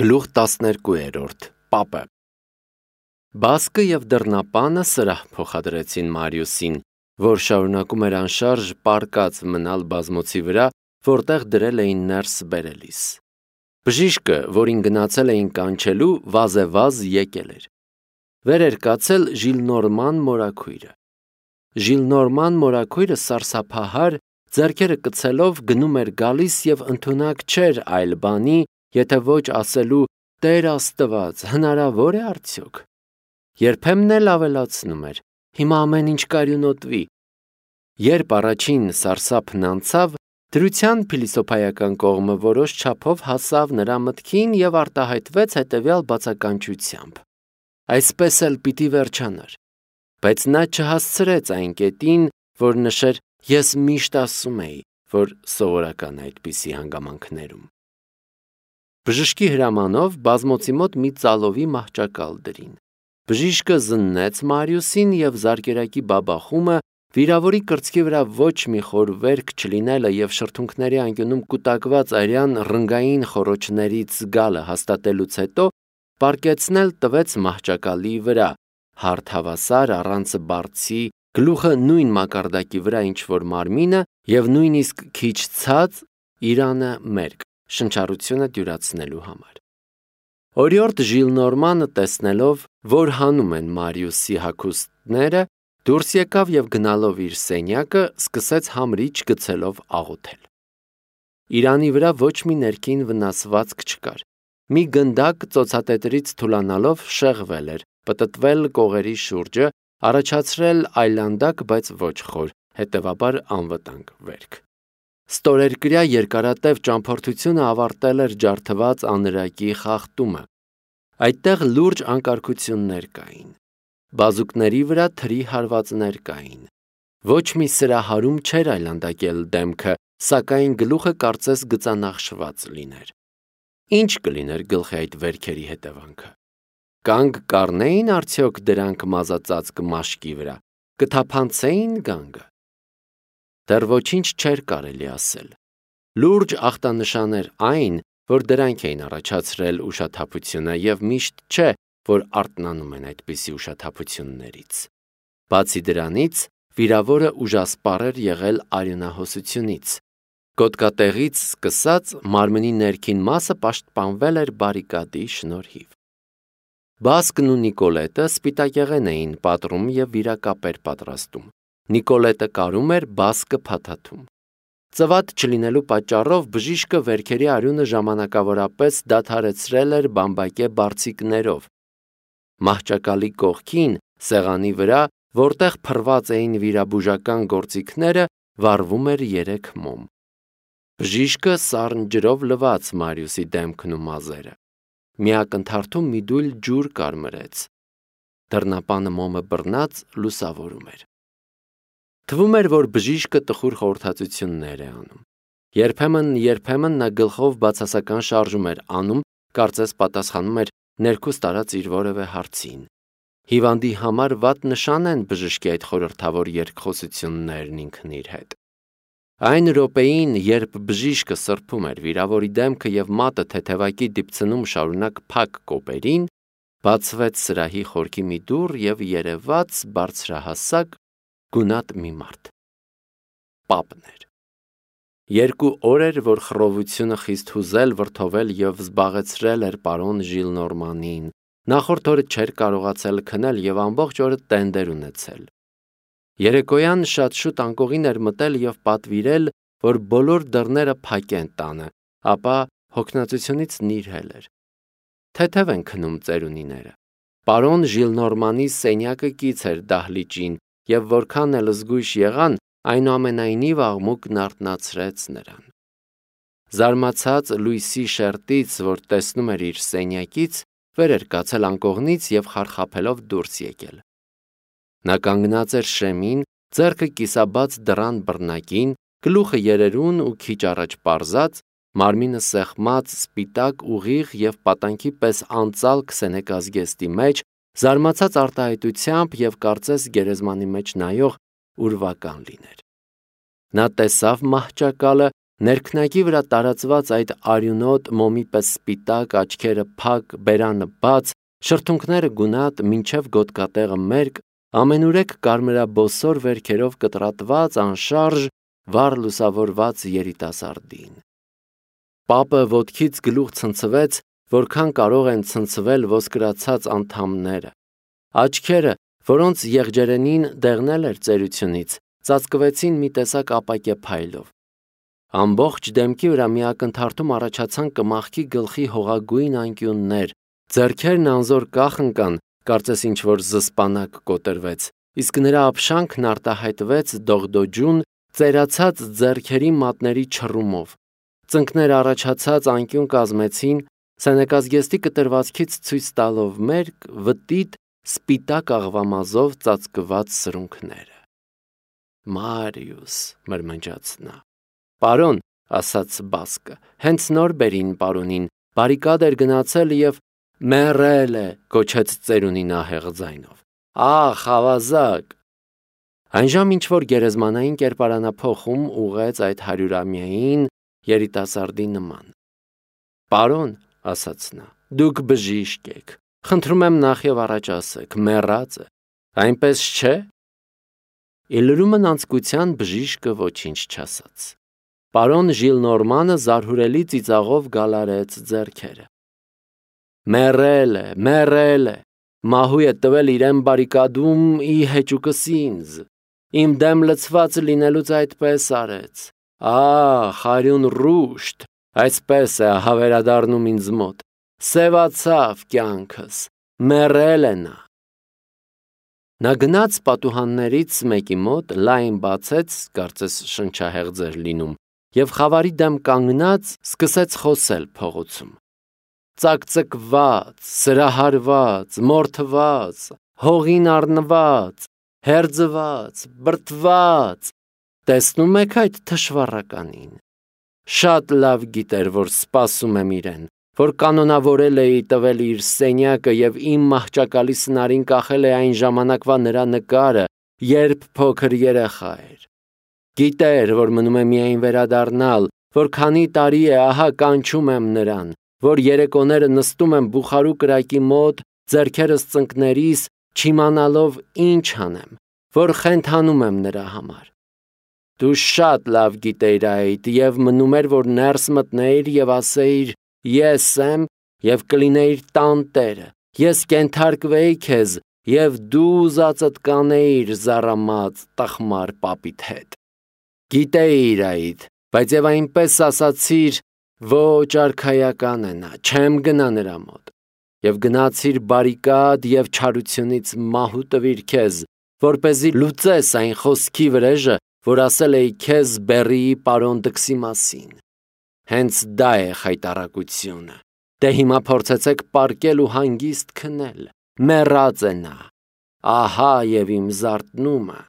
Գլուխ 12 Պապը Բասկը և դռնապանը սրահ փոխադրեցին Մարիուսին, որ շարունակում էր անշարժ պառկած մնալ բազմոցի վրա, որտեղ դրել էին ներս բերելիս։ Բժիշկը, որին գնացել էին կանչելու, վազեվազ եկել էր։ Վեր էր կացել Ժիլնորման մորաքույրը։ Ժիլնորման մորաքույրը սարսափահար, ձեռքերը կցելով գնում էր գալիս և ընդունակ չէր այլ բանի, եթե ոչ ասելու Տեր Աստված, հնարավոր է արդյոք։ Երբեմն էլ ավելացնում էր. հիմա ամեն ինչ կարյունոտվի։ Երբ առաջին սարսափն անցավ, դրության փիլիսոփայական կողմը որոշ չափով հասավ նրա մտքին և արտահայտվեց հետևյալ բացականչությամբ. այսպես էլ պիտի վերջանար։ Բայց նա չհասցրեց այն կետին, որ նշեր ես միշտ ասում էի, որ սովորական է այդպիսի հանգամանքներում։ Բժշկի հրամանով բազմոցի մոտ մի ծալովի մահճակալ դրին։ Բժիշկը զննեց Մարիուսին և զարկերակի բաբախումը, վիրավորի կրծքի վրա ոչ մի խոր վերք չլինելը և շրթունքների անկյունում կուտակված արյան ռնգային խոռոչներից զգալը հաստատելուց հետո պառկեցնել տվեց մահճակալի վրա, հարթ հավասար առանց բարձի, գլուխը նույն մակարդակի վրա ինչ որ մարմինը և նույնիսկ քիչ ցած, իրանը մերկ, շնչառությունը դյուրացնելու համար։ Օրիորդ Ժիլնորմանը տեսնելով, որ հանում են Մարիուսի հագուստները, դուրս եկավ և գնալով իր սենյակը, սկսեց համրիչ գցելով աղոթել։ Իրանի վրա ոչ մի ներքին վնասվածք չկար։ Մի գնդակ ծոցատետրից թուլանալով շեղվել էր, պտտվել կողերի շուրջը, առաջացրել այլանդակ, բայց ոչ խոր, հետևաբար անվտանգ վերք։ Ստորերկրյա երկարատև ճամփորդությունը ավարտել էր ջարդված անրակի խախտումը։ Այդտեղ լուրջ անկարգություններ կային։ Բազուկների վրա թրի հարվածներ կային։ Ոչ մի սրահարում չէր այլանդակել դեմքը, սակայն գլուխը կարծես գծանախշված լիներ։ Ինչ կլիներ գլխի այդ վերքերի հետևանքը։ Կանգ կառնեին արդյոք դրանք մազածածկ մաշկի վրա, կթափանցեին գանգը։ Դեռ ոչինչ չէր կարելի ասել։ Լուրջ ախտանշան էր այն, որ դրանք էին առաջացրել ուշաթափությունը և միշտ չէ, որ արթնանում են այդպիսի ուշաթափություններից։ Բացի դրանից, վիրավորը ուժասպառ էր եղել արյունահոսությունից։ Գոտկատեղից սկսած մարմնի ներքին մասը պաշտպանվել էր բարիկադի շնորհիվ։ Բասկն ու Նիկոլետը սպիտակեղեն էին պատռում և վիրակապեր պատրաստում։ Նիկոլետը կարում էր, Բասկը փաթաթում։ Ծվատ չլինելու պատճառով բժիշկը վերքերի արյունը ժամանակավորապես դադարեցրել էր բամբակե բարձիկներով։ Մահճակալի կողքին, սեղանի վրա, որտեղ փռված էին վիրաբուժական գործիքները, վառվում էր 3 մոմ։ Բժիշկը սառն ջրով լվաց Մարիուսի դեմքն ու մազերը։ Մի ակնթարթում մի դույլ ջուր կարմրեց։ Դռնապանը մոմը բռնած լուսավորում էր։ Թվում էր, որ բժիշկը տխուր խորհրդածություններ է անում։ Երբեմն նա գլխով բացասական շարժում էր անում, կարծես պատասխանում էր ներքուստ արած իր որևէ հարցին։ Հիվանդի համար վատ նշան են բժշկի այդ խորհրդավոր երկխոսություններն ինքն իր հետ։ Այն րոպեին, երբ բժիշկը սրբում էր վիրավորի դեմքը և մատը թեթևակի դիպցնում շարունակ փակ կոպերին, բացվեց սրահի խորքի մի դուռ և երևաց բարձրահասակ, գունատ մի մարդ։ Պապն էր։ 2 օր էր, որ խռովությունը խիստ հուզել, վրդովել և զբաղեցրել էր պարոն Ժիլնորմանին։ Նախորդ օրը չէր կարողացել քնել և ամբողջ օրը տենդեր ունեցել։ Երեկոյան շատ շուտ անկողին էր մտել և պատվիրել, որ բոլոր դռները փակեն տանը, ապա հոգնածությունից նիրհել էր։ Թեթև են քնում ծերունիները։ Պարոն Ժիլնորմանի սենյակը կից էր դահլիճին, և որքան էլ զգույշ եղան, այնուամենայնիվ աղմուկն արթնացրեց նրան։ Զարմացած լույսի շերտից, որ տեսնում էր իր սենյակից, վեր էր կացել անկողնից և խարխափելով դուրս եկել։ Նա կանգնած էր շեմին, ձեռքը կիսաբաց դռան բռնակին, գլուխը երերուն ու քիչ առաջ պարզած, մարմինը սեղմած սպիտակ ուղիղ և պատանքի պես անծալ քսենեկազգեստի մեջ, զարմացած արտահայտությամբ և կարծես գերեզմանի մեջ նայող ուրվական լիներ։ Նա տեսավ մահճակալը Ներքնակի վրա տարածված այդ արյունոտ մոմի պես սպիտակ, աչքերը փակ, բերանը բաց, շրթունքները գունատ, մինչև գոտկատեղը մերկ, ամենուրեք կարմրաբոսոր վերքերով կտրատված, անշարժ, վառ լուսավորված երիտասարդին։ Պապը ոտքից գլուխ ցնցվեց, որքան կարող են ցնցվել ոսկրացած անդամները։ Աչքերը, որոնց եղջերենին դեղնել էր ծերությունից, ծածկվեցին մի տեսակ ապակե փայլով։ Ամբողջ դեմքի վրա մի ակնթարթում առաջացան կմախքի գլխի հողագույն անկյուններ, ձեռքերն անզոր կախ ընկան, կարծես ինչ-որ զսպանակ կոտրվեց, իսկ նրա ափշանքն արտահայտվեց դողդոջուն, ծերացած ձեռքերի մատների չռումով։ Ծնկներ առաջացած անկյուն կազմեցին, սենեկազգեստի կտրվածքից ցույց տալով մերկ, վտիտ, սպիտակ աղվամազով ծածկված սրունքները։ Մարիուս, մրմնջաց նա։ Պարոն, ասաց Բասկը, հենց նոր բերին պարոնին, բարիկադ էր գնացել և մեռել է, կոչեց ծերունին ահեղ ձայնով։ Ախ, ավազակ։ Այնժամ ինչ-որ գերեզմանային կերպարանափոխում ուղղեց այդ 100-ամյային երիտասարդի նման։ Պարոն, ասաց նա, դուք բժիշկ եք, խնդրում եմ նախ և առաջ ասեք, մեռած է, այնպես չէ։ Իլրումն անձկության բժիշկը ոչինչ չասաց։ Պարոն Ժիլնորմանը զարհուրելի ծիծաղով գալարեց ձեռքերը։ Մեռել է, մահու է տվել իրեն բարիկադում ի հեճուկս ինձ, իմ դեմ լցված լինելուց այդպես արեց, արյուն ռուշտ, այսպես է հավերադառնում ինձ մոտ, սևացավ կյանքս, մեռել է նա։ Նա գնաց պատուհաններից մեկի մոտ, լայն բացեց, կարծես շնչահեղձ էր լինում, և խավարի դեմ կանգնած սկսեց խոսել փողոցում։ Ծակծկված, սրահարված, մորթված, հողին առնված, հերձված, բրդված, տեսնում եք այդ թշվառականին։ Շատ լավ գիտեր, որ սպասում եմ իրեն, որ կանոնավորել էի տվել իր սենյակը և իմ մահճակալի սնարին կախել է այն ժամանակվա նրա նկարը, երբ փոքր երեխա էր։ Գիտեր, որ մնում է միայն վերադառնալ, որ քանի տարի է ահա կանչում եմ նրան, որ երեկոները նստում եմ բուխարու կրակի մոտ, ձեռքերս ծնկներիս, չիմանալով ինչ անեմ, որ խենթանում եմ նրա համար։ Դու շատ լավ գիտեիր այդ և մնում էր, որ ներս մտնեիր և ասեիր ես եմ և կլինեիր տանտերը, ես կենթարկվեի քեզ և դու ուզածդ կանեիր զառամած տխմար պապիդ հետ։ Գիտեիր այդ, բայց և այնպես ասացիր, ոչ արքայական է նա, չեմ գնա նրա մոտ, և գնացիր բարիկադ և չարությունից մահու տվիր քեզ, որպեսզի լուծես այն խոսքի վրեժը, որ ասել էի քեզ Բեռիի պարոն Դքսի մասին։ Հենց դա է խայտառակությունը։ Դե հիմա փորձեցեք պառկել ու հանգիստ քնել, մեռած է նա, ահա և իմ զարթնումը։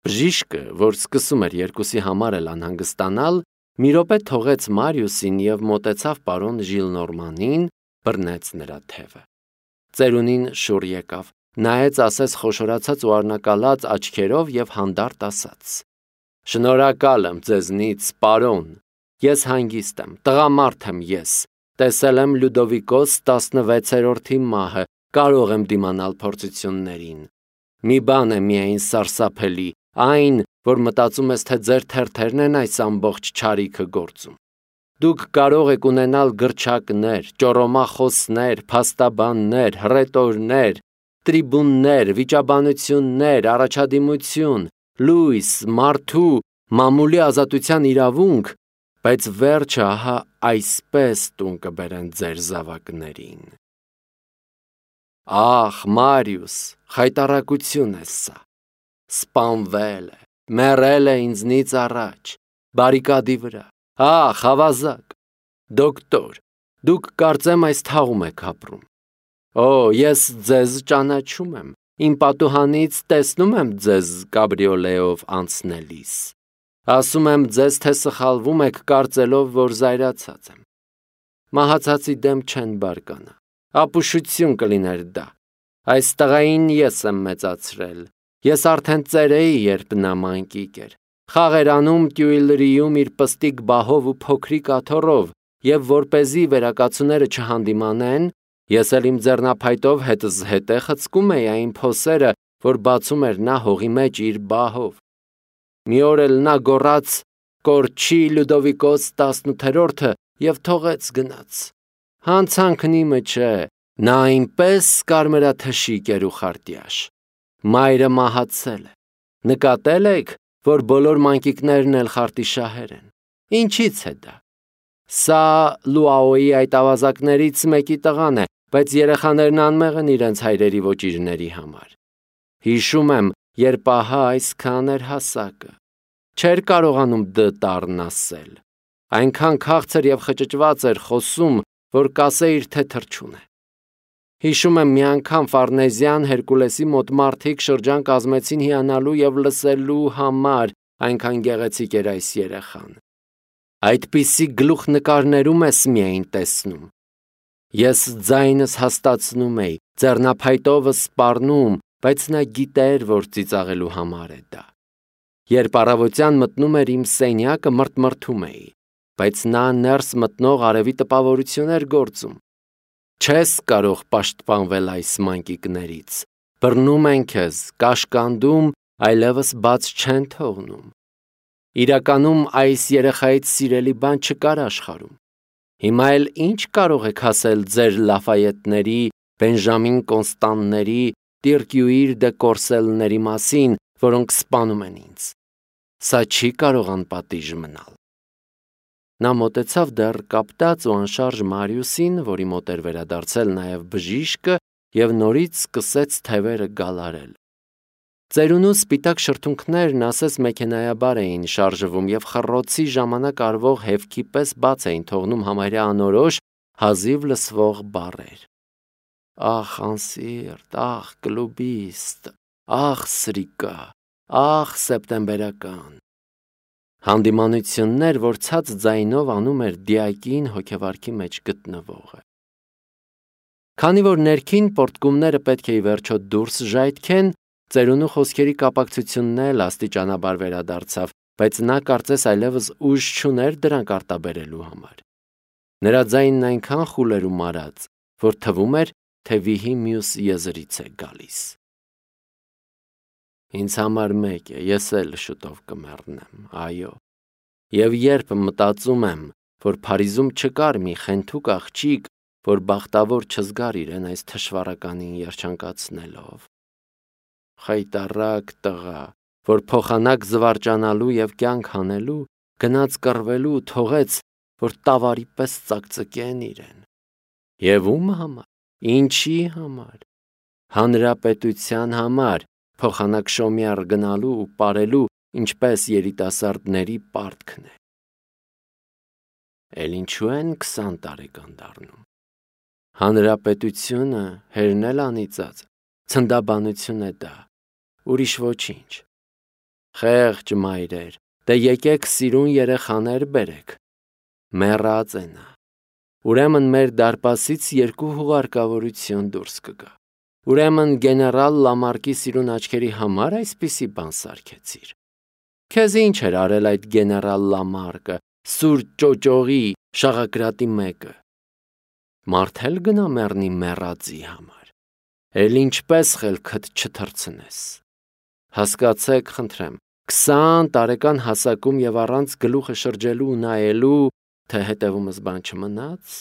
Բժիշկը, որ սկսում էր երկուսի համար էլ անհանգստանալ, մի րոպե թողեց Մարիուսին և մոտեցավ պարոն Ժիլնորմանին, բռնեց նրա թևը։ Ծերունին շուռ եկավ, նայեց ասես խոշորացած ու առնակալած աչքերով և հանդարտ ասաց. Շնորհակալ եմ ձեզնից, պարոն, ես հանգիստ եմ, տղամարդ եմ ես, տեսել եմ Լյուդովիկոս 16-րդի մահը, կարող եմ դիմանալ փորձություններին։ Մի բան է միայն սարսափելի, այն, որ մտածում ես, թե ձեր թերթերն են այս ամբողջ չարիքը գործում։ Դուք կարող եք ունենալ գրչակներ, ճոռոմախոսներ, փաստաբաններ, հռետորներ, տրիբուններ, վիճաբանություններ, առաջադիմություն, լույս, մարդու, մամուլի ազատության իրավունք, բայց վերջը ահա այսպես տուն կբերեն ձեր զավակներին։ Ախ, Մարիուս, խայտառակություն է սա։ Սպանվել է, մեռել է ինձնից առաջ, բարիկադի վրա, ախ, ավազակ, դոկտոր, դուք կարծեմ այս թաղում եք ապրում։ Օ, ես ձեզ ճանաչում եմ, իմ պատուհանից տեսնում եմ ձեզ կաբրիոլեով անցնելիս։ Ասում եմ ձեզ, թե սխալվում եք կարծելով, որ զայրացած եմ։ Մահացածի դեմ չեն բարկանա, ապուշություն կլիներ դա։ Այս տղային ես եմ մեծացրել, ես արդեն ծեր էի, երբ նա մանկիկ էր, խաղերանում տյուիլրիում իր պստիկ բահով ու փոքրիկ աթոռով, եւ որպեսզի վերակացուները չհանդիմանեն, ես էլ իմ ձեռնափայտով հետս հետե խցկում էի այն փոսերը, որ բացում էր նա հողի մեջ իր բահով։ Մի օր էլ նա գոռաց «Կորչի Լյուդովիկոս 18-րդը» եւ թողեց գնաց։ Հանցանքն իմը չէ, նա այնպես կարմրաթշիկ էր ու խարտյաշ։ Մայրը մահացել է։ Նկատել եք, որ բոլոր մանկիկներն էլ խարտիշահեր են։ Ինչից է դա։ Սա Լուաոյի այդ ավազակներից մեկի տղան է, բայց երեխաներն անմեղ են իրենց հայրերի ոճիրների համար։ Հիշում եմ, երբ ահա այսքան էր հասակը։ Չէր կարողանում «դ» տառն ասել։ Այնքան քաղցր եւ խճճված էր խոսում, որ կասեիր, թե թռչուն է։ Հիշում եմ մի անգամ Ֆարնեզյան Հերկուլեսի մոտ մարդիկ շրջան կազմեցին հիանալու եւ լսելու համար, այնքան գեղեցիկ էր այս երեխան։ Այդպիսի գլուխնկարներում ես միայն տեսնում։ Ես ձայնս հաստացնում էի, ձեռնափայտովս սպառնում, բայց նա գիտեր, որ ծիծաղելու համար է դա։ Երբ առավոտյան մտնում էր իմ սենյակը, մրթմրթում էի, բայց նա ներս մտնող արևի տպավորություն էր գործում։ Չես կարող պաշտպանվել այս մանկիկներից։ Բռնում են քեզ, կաշկանդում, այլևս բաց չեն թողնում։ Իրականում այս երեխայից սիրելի բան չկար աշխարհում։ Հիմա էլ ինչ կարող եք ասել ձեր Լաֆայետների, Բենժամին Կոնստանների, Տիրկյուիր դե Կորսելների մասին, որոնք սպանում են ինձ։ Սա չի կարող անպատիժ մնալ։ Նա մոտեցավ դեռ կապտած ու անշարժ Մարիուսին, որի մոտ էր վերադարձել նաև բժիշկը, եւ նորից սկսեց թևերը գալարել։ Ծերունու սպիտակ շրթունքներն ասես մեքենայաբար էին շարժվում եւ խռոցի ժամանակ արվող հևքի պես բաց էին թողնում համարյա անորոշ, հազիվ լսվող բառեր։ Ախ, անսիրտ, ախ, կլուբիստ, ախ, սրիկա, ախ, սեպտեմբերական։ Հանդիմանություններ, որ ցած ձայնով անում էր դիակին հոգեվարքի մեջ գտնվողը։ Քանի որ ներքին պորտկումները պետք է ի վերջո դուրս ժայթքեն, ծերունու խոսքերի կապակցությունն էլ աստիճանաբար վերադարձավ, բայց նա կարծես այլևս ուժ չուներ դրանք արտաբերելու համար։ Նրա ձայնն այնքան խուլ էր ու մարած, որ թվում էր, թե վիհի մյուս եզրից է գալիս։ Ինձ համար մեկ է, ես էլ շուտով կմեռնեմ, այո։ Եվ երբ մտածում եմ, որ Փարիզում չկար մի խենթուկ աղջիկ, որ բախտավոր չզգար իրեն այս թշվառականին երջանկացնելով։ Խայտառակ տղա, որ փոխանակ զվարճանալու եւ կյանք հանելու, գնաց կռվելու ու թողեց, որ տավարի պես ծակծկեն իրեն։ Եվ ում համար, ինչի համար, հանրապետության համար, փոխանակ շոմյար գնալու ու ապարելու, ինչպես երիտասարդների պարտքն է։ Էլ ինչու են 20 տարեկան դառնում։ Հանրապետությունը հերնել անիծած, ցնդաբանություն է դա, ուրիշ ոչինչ։ Խեղճ մայրեր, դե եկեք սիրուն երեխաներ բերեք։ Մեռած է նա։ Ուրեմն մեր դարպասից 2 հուղարկավորություն դուրս կգա։ Ուրեմն գեներալ Լամարկի սիրուն աչքերի համար այսպիսի բան սարքեցիր։ Քեզ ինչ էր արել այդ գեներալ Լամարկը, սուր ճոճողի շաղակրատի մեկը։ Մարդել գնա մեռնի մեռածի համար։ Էլ ինչպես խելքդ չթռցնես։ Հասկացեք, խնդրեմ, 20 տարեկան հասակում եւ առանց գլուխը շրջելու ու նայելու, թե հետևումս բան չմնաց։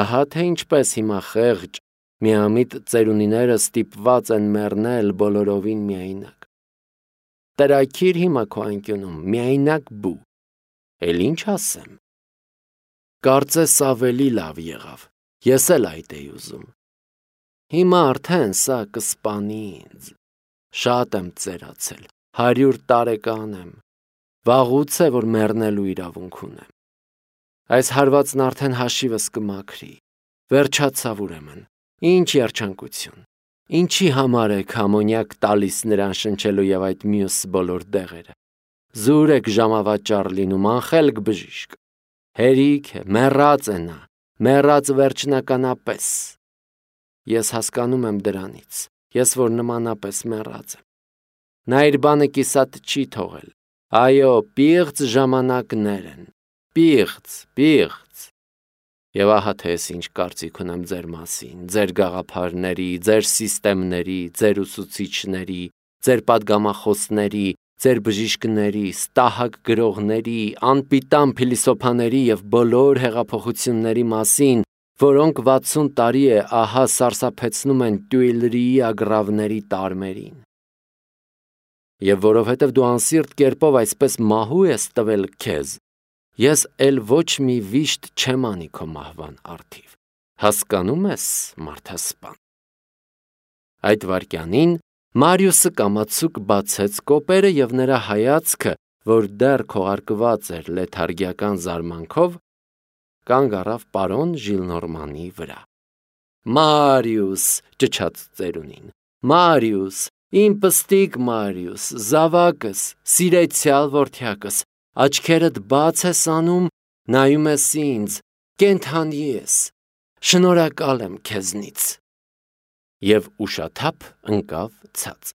Ահա թե ինչպես հիմա խեղճ, միամիտ ծերունիները ստիպված են մեռնել բոլորովին միայնակ։ Տրաքիր հիմա քո անկյունում, միայնակ բու։ Էլ ինչ ասեմ։ Կարծես ավելի լավ եղավ, ես էլ այդ էի ուզում։ Հիմա արդեն սա կսպանի ինձ։ Շատ եմ ծերացել, 100 տարեկան եմ, վաղուց է, որ մեռնելու իրավունք ունեմ։ Այս հարվածն արդեն հաշիվս կմաքրի, վերջացավ ուրեմն, ինչ երջանկություն, ինչի համար եք համոնյակ տալիս նրան շնչելու եւ այդ մյուս բոլոր դեղերը։ Զուր եք ժամավաճառ լինում, անխելք բժիշկ։ Հերիք է, մեռած է նա, մեռած վերջնականապես։ Ես հասկանում եմ դրանից, ես որ նմանապես մեռած եմ։ Նա իր բանը կիսատ չի թողել, Այո, պիղծ ժամանակներ են, պիղծ։ Եվ ահա թե ես ինչ կարծիք ունեմ ձեր մասին, ձեր գաղափարների, ձեր սիստեմների, ձեր ուսուցիչների, ձեր պատգամախոսների, ձեր բժիշկների, ստահակ գրողների, անպիտան փիլիսոփաների և բոլոր հեղափոխությունների մասին, որոնք 60 տարի է ահա սարսափեցնում են Տյուիլրիի ագռավների տարմերին։ Եվ որովհետև դու անսիրտ կերպով այսպես մահու ես տվել քեզ, ես էլ ոչ մի վիշտ չեմ անի քո մահվան առթիվ, հասկանում ես, մարդասպան։ Այդ վայրկյանին Մարիուսը կամացուկ բացեց կոպերը և նրա հայացքը, որ դեռ քողարկված էր լեթարգիական զարմանքով, կանգ առավ պարոն Ժիլնորմանի վրա։ Մարիուս, ճչաց ծերունին, Մարիուս, իմ պստիկ Մարիուս, զավակս, սիրեցյալ որդյակս, աչքերդ բաց ես անում, նայում ես ինձ, կենդանի ես, շնորհակալ եմ քեզնից։ Եվ ուշաթափ ընկավ ցած։